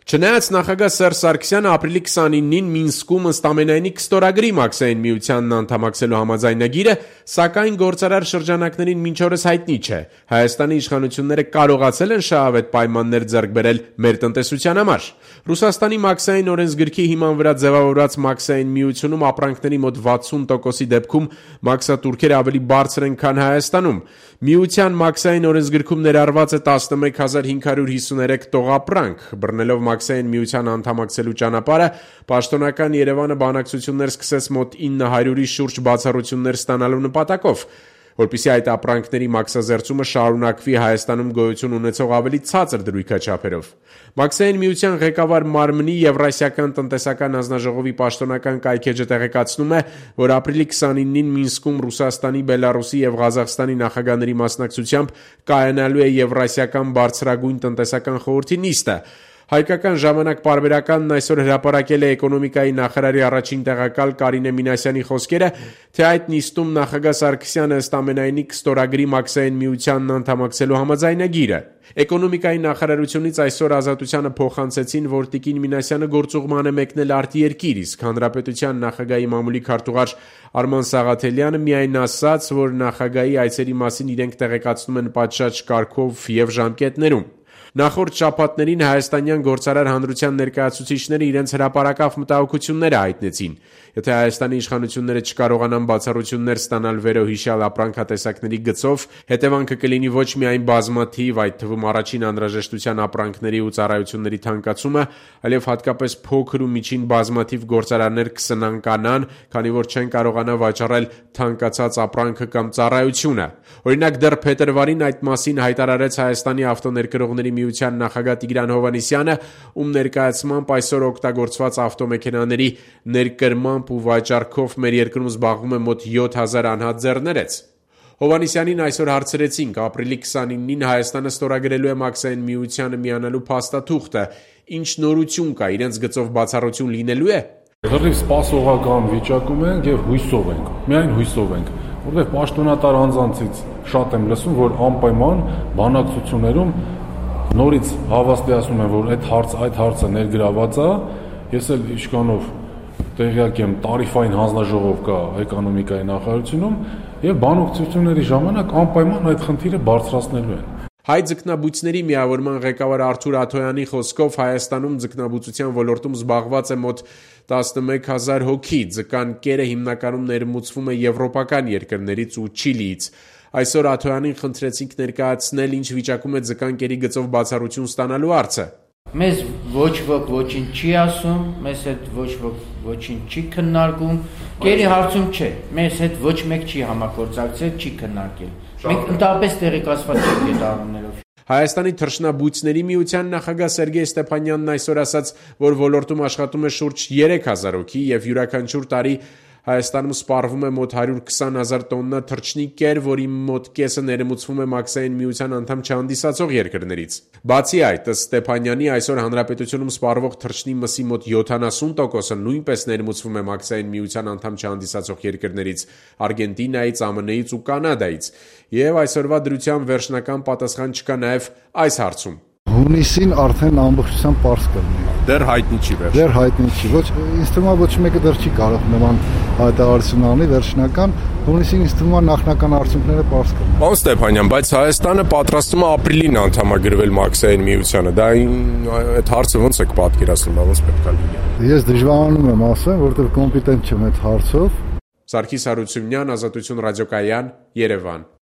Չնայած նախագահ Սերժ Սարգսյանը ապրիլի 29-ին Մինսկում ըստ ամենայնի կստորագրի Մաքսային միությանն անդամակցելու համաձայնագիրը, սակայն գործարար շրջանակներին մինչ օրս հայտնի չէ. Հայաստանի իշխանությունները կարողացել են շահավետ պայմաններ ձեռք բերել մեր տնտեսության համար։ Ռուսաստանի Մաքսային օրենսգրքի հիման վրա ձևավորված Մաքսային միությունում ապրանքների մոտ 60%-ի դեպքում մաքսատուրքերը ավելի բարձր են, քան Հայաստանում։ Միության Մաքսային օրենսգրքում ներառված է 11553 տողապրանք։ Բռնելով Մաքսային միության անդամակցելու ճանապարհը, պաշտոնական Երևանը բանակցություններ սկսեց մոտ 900-ի շուրջ բացառություններ ստանալու նպատակով, որպեսզի այդ ապրանքների մաքսազերծումը շարունակվի Հայաստանում գոյություն ունեցող ավելի ցածր դրույքաչափերով։ Մաքսային միության ղեկավար մարմնի Եվրասիական տնտեսական հանձնաժողովի պաշտոնական կայքեջը տեղեկացնում է, որ ապրիլի 29-ին Մինսկում Ռուսաստանի, Բելարուսի եւ Ղազախստանի նախագահների մասնակցությամբ կայանալու է Եվրասիական բարձրագույն տնտեսական խորհրդի նիստը։ Հայկական ժամանակ պարբերականն այսօր հրապարակել է էկոնոմիկայի նախարարի առաջին տեղակալ Կարինե Մինասյանի խոսքերը, թե այդ նիստում նախագահ Սարգսյանը ըստ ամենայնի կստորագրի Մաքսային միությանն անդամակցելու համաձայնագիրը։ Էկոնոմիկայի նախարարությունից այսօր Ազատությանը փոխանցեցին, որ տիկին Մինասյանը գործուղման է մեկնել արտերկիր, իսկ հանրապետության նախագահի մամուլի քարտուղար Արման Սաղաթելյանը միայն ասաց, որ նախագահի այցերի մասին իրենք տեղեկացնում են պատշաճ կարգով եւ ժամկետներում։ Նախորդ շաբաթներին հայաստանյան գործարար հանրության ներկայացուցիչները իրենց հրապարակավ մտահոգությունները հայտնեցին։ Եթե Հայաստանի իշխանությունները չկարողանան բացառություններ ստանալ վերոհիշյալ ապրանքատեսակների գծով, հետևանքը կլինի ոչ միայն բազմաթիվ, այդ թվում առաջին անհրաժեշտության ապրանքների ու ծառայությունների թանկացումը, այլև հատկապես փոքր ու միջին բազմաթիվ գործարարներ կսնանկանան, քանի որ չեն կարողանա վաճառել թանկացած ապրանքը կամ ծառայությունը։ Օրինակ, դեռ փետրվարին այդ մասին հայտարարեց Հայաստանի ավտոներկրողների միության նախագահ Տիգրան Հովհաննիսյանը, ում ներկայացմամբ այսօր օգտագործված ավտոմեքենաների ներկրմամբ ու վաճառքով մեր երկրում զբաղվում է մոտ 7000 անհատ ձեռներեց։ Հովհաննիսյանին այսօր հարցրեցինք, ապրիլի 29-ին Հայաստանը ստորագրելու է Մաքսային միությանը միանալու փաստաթուղթը, ինչ նորություն կա, իրենց գծով բացառություն լինելու է։ Լրիվ սպասողական վիճակում ենք եւ հույսով ենք, միայն հույսով ենք, որովհետեւ պաշտոնատար անձանցից շատ եմ լսում, որ անպայման բանակցություններում նորից հավաստիացնում են, որ այդ հարցը ներգրաված է, ես էլ իշխանով տեղյակ եմ, տարիֆային հանձնաժողով կա էկոնոմիկայի նախարարությունում եւ բանակցությունների ժամանակ անպայման այդ խնդիրը բարձրացնելու են։ Հայ ձկնաբույծների միավորման ղեկավար Արթուր Աթոյանի խոսքով Հայաստանում ձկնաբուծության ոլորտում զբաղված է մոտ 11000 հոգի, ձկան կերը հիմնականում ներմուծվում է եվրոպական երկրներից ու Չիլիից։ Այսօր Աթոյանին խնդրեցինք ներկայացնել, ինչ վիճակում է ձկան կերի գծով բացառություն ստանալու հարցը։ Մեզ ոչ ոք ոչինչ չի ասում, մեզ հետ ոչ ոք ոչինչ չի քննարկում, կերի հարցում չէ, մեզ հետ ոչ մեկ չի համագործակցել, չի քննարկել։ Մենք ընդհանրապես տեղեկացված չենք այդ առումներով։ Հայաստանի թռչնաբույծների միության նախագահ Սերգեյ Ստեփանյանն այսօր ասաց, որ ոլորտում աշխատում է շուրջ 3000 հոգի եւ յուրաքանչյուր տարի Հայաստանում սպառվում է մոտ 120,000 տոննա թռչնի կեր, որի մոտ կեսը ներմուծվում է Մաքսային միության անդամ չհանդիսացող երկրներից։ Բացի այդ, ըստ Ստեփանյանի, այսօր հանրապետությունում սպառվող թռչնի մսի մոտ 70%-ը նույնպես ներմուծվում է Մաքսային միության անդամ չհանդիսացող երկրներից՝ Արգենտինայից, ԱՄՆ-ից ու Կանադայից։ Եվ այսօրվա դրության վերջնական պատասխան չկա նաև այս հարցում։ Հունիսին արդեն ամբողջությամբ պարզ կլինի։ Դեռ հայտնի չի վերջ։ Դեռ հայտնի չի։ Ինձ թվում է ոչ մեկը դեռ չի կարող նման հայտարարություն անել վերջնական։ Հունիսին ինձ թվում է նախնական արդյունքները պարզ կլինեն։ Պարոն Ստեփանյան, բայց Հայաստանը պատրաստվում է ապրիլին անդամագրվել Մաքսային միությանը։ Դա այդ հարցը ո՞նց եք պատկերացնում, ոնց պետք է լինի։ Ես դժվարանում եմ ասեմ, որովհետև կոմպետենտ չեմ այդ հարցով։ Սարգիս Հարությունյան, Ազատություն ռադիոկայան, Երևան։